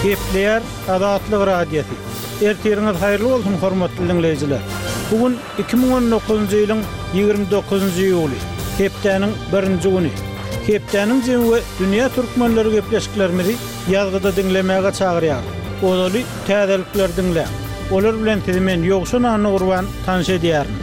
Gepleýär Azatlyk Radiosy. Ertiriňiz haýyrly bolsun, hormatly diňleýjiler! Bu gün 2019-njy ýylyň 29-njy iýuly, hepdäniň birinji güni. Hepdäniň jemi we dünýä türkmenleri gepleşiklerimizi ýazgyda diňlemäge çagyrýarys. Ozaly täzelikleri diňläň. Olar bilen sizi men Ýowşan Annagurban tanyş edýärin.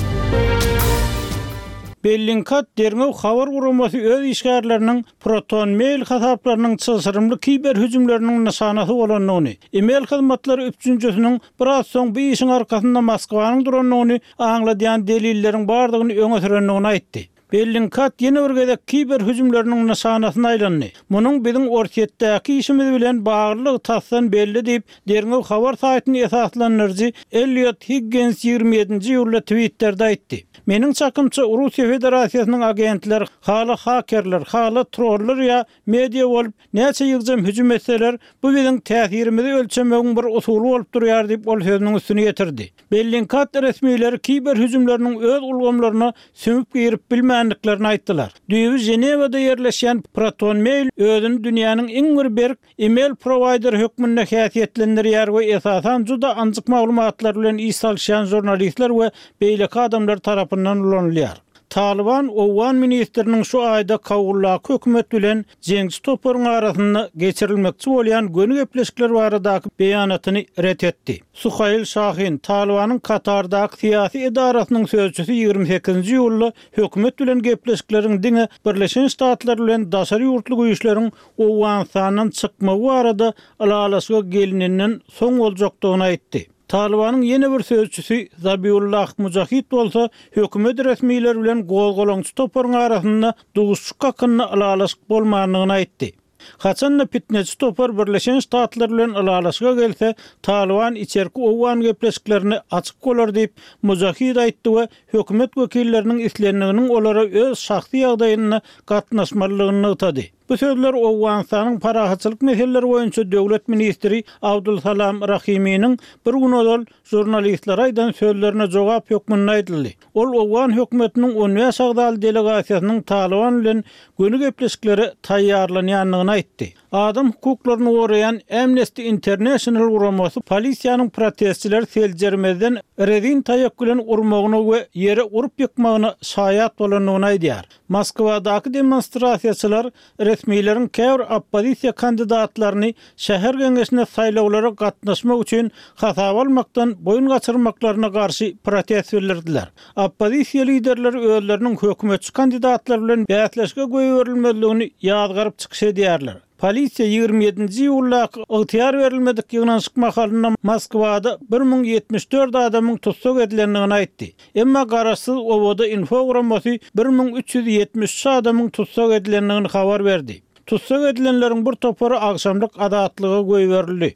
Bellingcat derňew habar guramasy öz işgärleriniň Proton Mail hasaplarynyň çylşyrymly kiber hüjümleriniň nyşanasy bolandygyny, e-mail hyzmatlary üpjünçisiniň biraz soň bu işiň arkasynda Moskwanyň durandygyny aňladýan delilleriň bardygyny öňe sürendigini aýtdy. Bellingcat ýene bir gezek kiber hüjümleriniň nyşanasyna aýlandy. Munuň biziň Orsýetdäki işimiz bilen baglylygy tasdan belli diýip, derňew habar saýtyny esaslandyryjy Elliot Higgens 27-nji iýulda Twitterde aýtdy. Meniň çakymça, Russiýa Federasiýasynyň agentleri, hala hakerler, hala trollar ýa media bolup, näçe ýygjam hüjüm etseler, bu biziň täsirimizi ölçemegiň bir usuly bolup durýar diýip, ol sözüniň üstüni ýetirdi. Bellingcat resmileri kiber hüjümleriniň öz ulgamlaryna sümüp girip bilmändiklerini aýtdylar. Düýbi Ženewada ýerleşýän ProtonMail özüni dünýäniň iň bir berk e-mail prowaýderi hökmünde häsiýetlendirýär we esasan juda anjyk maglumatlar bilen iş salyşýan žurnalistler we beýleki adamlar tarapyndan ulanylýar. Talyban owgan ministriniň şu aýda Kabuldaky hökümet bilen jeňçi toparyň arasynda geçirilmekçi bolýan göni gepleşikler baradaky beýanatyny ret etdi. Suhail Şahin, Talybanyň Katardaky syýasy edarasynyň sözçüsi 28-nji iýulda hökümet bilen gepleşikleriň diňe Birleşen Ştatlar bilen daşary ýurtly güýçleriň Owganystandan çykmagy barada ylalaşyga gelinenden soň boljakdygyny aýtdy. Talybanyň ýene bir sözçüsi Zabiullah Mujahid bolsa hökümet resmileri bilen gozgalaňçy toparyň arasynda duşuşyk hakynda ylalaşyk bolmandygyny aýtdy. Haçan-da pitneçi topar Birleşen Ştatlar bilen ylalaşyga gelse, Talyban içerki owgan gepleşiklerine açyk bolar diýip, Mujahid aýtdy we hökümet wekilleriniň islendiginiň olara öz şahsy ýagdaýynda gatnaşmalydygyny nygtady. Bu sözler Owganystanyň parahatçylyk meseleleri boýunça döwlet ministri Abdul Salam Rahiminiň bir gün ozal žurnalistlere aýdan sözlerine jogap hökmünde aýdyldy. Ol owgan hökümetiniň on bäş agzaly delegasiýasynyň Talyban bilen göni gepleşiklere taýýarlanýandygyny aýtdy. Adam hukuklaryny goraýan Amnesty International guramasy polisiýanyň protestçileri seljermezden rezin taýak bilen urmagyna we ýere urup ýykmagyna şaýat bolandygyny aýdýar. Moskwadaky demonstrasiýaçylar resmileriň käbir oppozisiýa kandidatlaryny şäher geňeşine saýlawlara gatnaşmak üçin hasaba almakdan boýun gaçyrmaklaryna garşy protest bildirdiler. Oppozisiýa liderleri özleriniň hökümetçi kandidatlar bilen bäsleşige goýberilmezligini ýazgaryp çykyş edýärler. Polisiýa 27-nji iýuldaky ygtyýar berilmedik ýygnanyşyk mahalynda Moskwada 1074 adamyň tussag edilendigini aýtdy. Emma garaşsyz OWD-Info guramasy 1373 adamyň tussag edilendigini habar berdi. Tussag edilenleriň bir topary agşamlyk azatlyga goýberildi.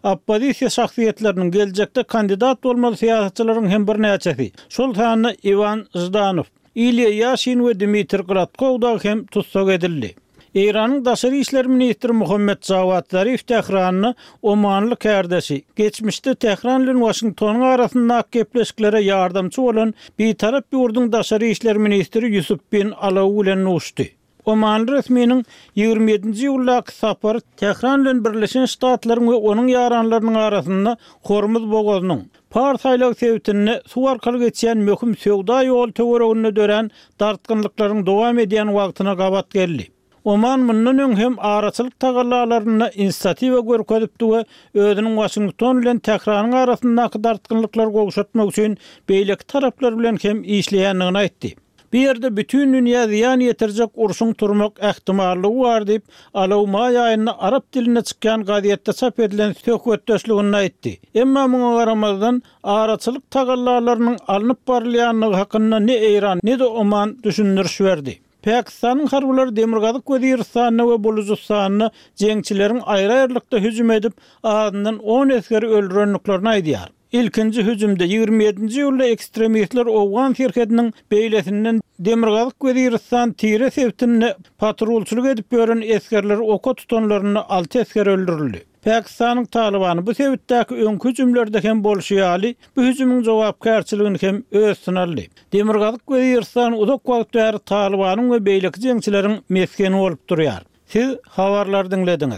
Oppozisiýa şahsyýetleriniň, geljekde kandidat bolmaly syýasatçylaryň hem birnäçesi, şol sanda Iwan Ždanow, Ilýa Ýaşin we Dmitriý Gladkow dagy hem tussag edildi. Eýranyň daşary işler ministri Muhammet Jawad Zarif Tähranda omanly kärdeşi, geçmişde Tähran bilen Waşingtonyň arasyndaky gepleşiklere ýardamçy bolan bitarap ýurduň daşary işler ministri Ýusuf bin Alaw bilen duşdy. Omanly resminiň 27-nji iýuldaky sapary Tähran bilen Birleşen Ştatlaryň we onuň ýaranlarynyň arasynda Hormuz bogazynyň, Pars aýlagy sebitinde suw arkaly geçýän möhüm söwda ýoly töwereginde dörän dartgynlyklaryň dowam edýän wagtyna gabat geldi. Oman mundan öň hem araçylyk tagallalarynda inisiatiwa görkezipdi we özüniň Waşington bilen Tähranyň arasyndaky dartgynlyklary gowşatmak üçin beýleki taraplar bilen hem işleýändigini aýtdy. Bu ýerde bütin dünýä zyýan ýetirjek urşuň turmak ähtimallygy bar diýip, Alaw maý aýynda arap dilinde çykýan gazetde çap edilen söhbetdeşliginde aýtdy. Emma muňa garamazdan, araçylyk tagallalarynyň alnyp barylýandygy hakynda ne Eýran, ne-de Oman düşündiriş berdi. Pakistanyň harbylary Demirgazyk Weziristanda we Bulujystanda jeňçileriň aýry-aýrylykda hüjüm edip, azyndan on esgeri öldürendiklerini aýdýar. Ilkinji hüjümde, 27-nji iýulda ekstremistler owgan serhediniň beýlesinden Demirgazyk Weziristan Tire sebitinde patrulçylyk edip ýören esgerleri oka tutanlarynda alty esger öldürildi. Pakistanyň Talybany bu sebitdäki öňki hüjümlerde hem bolşy ýaly, bu hüjümiň jogapkärçiligini hem öz üstüne aldy. Demirgazyk Weziristan uzak wagt bäri Talybanyň we beýleki jeňçileriň mesgeni bolup durýar. Siz habarlary diňlediňiz.